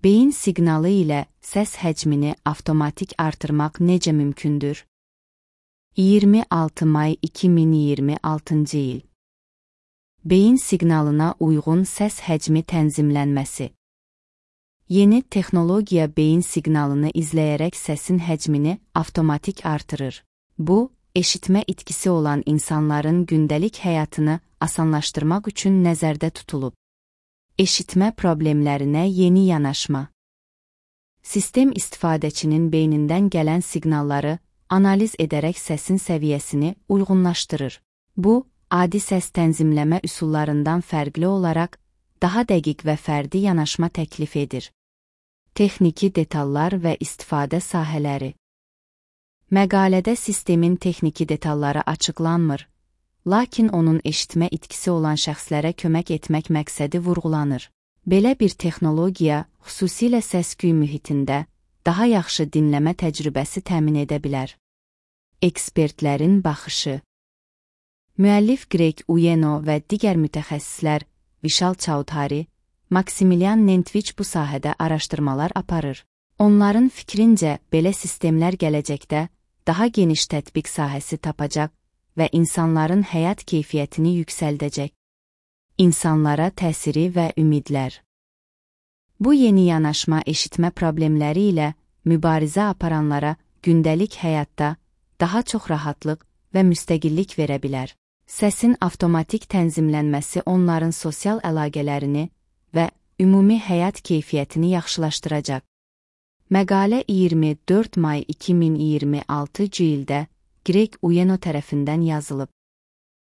Beyin siqnalı ilə səs həcmini avtomatik artırmaq necə mümkündür? 26 may 2026-cı il. Beyin siqnalına uyğun səs həcmi tənzimlənməsi. Yeni texnologiya beyin siqnalını izləyərək səsin həcmini avtomatik artırır. Bu, eşitmə itkisi olan insanların gündəlik həyatını asanlaşdırmaq üçün nəzərdə tutulub. Eşitmə problemlərinə yeni yanaşma. Sistem istifadəçinin beynindən gələn siqnalları analiz edərək səsin səviyyəsini uyğunlaşdırır. Bu, adi səs tənzimləmə üsullarından fərqli olaraq daha dəqiq və fərdi yanaşma təklif edir. Texniki detallar və istifadə sahələri. Məqalədə sistemin texniki detalları açıqlanmır, lakin onun eşitmə itkisi olan şəxslərə kömək etmək məqsədi vurğulanır. Belə bir texnologiya xüsusilə səs-küy mühitində daha yaxşı dinləmə təcrübəsi təmin edə bilər. Ekspertlərin baxışı. Müəllif Greg Uyeno və digər mütəxəssislər Vishal Chaudhary, Maksimilian Nentviç bu sahədə araşdırmalar aparır. Onların fikrincə, belə sistemlər gələcəkdə daha geniş tətbiq sahəsi tapacaq və insanların həyat keyfiyyətini yüksəldəcək. İnsanlara təsiri və ümidlər. Bu yeni yanaşma eşitmə problemləri ilə mübarizə aparanlara gündəlik həyatda daha çox rahatlıq və müstəqillik verə bilər. Səsin avtomatik tənzimlənməsi onların sosial əlaqələrini və ümumi həyat keyfiyyətini yaxşılaşdıracaq. Məqalə 24 may 2026-cı ildə Greg Uyeno tərəfindən yazılıb.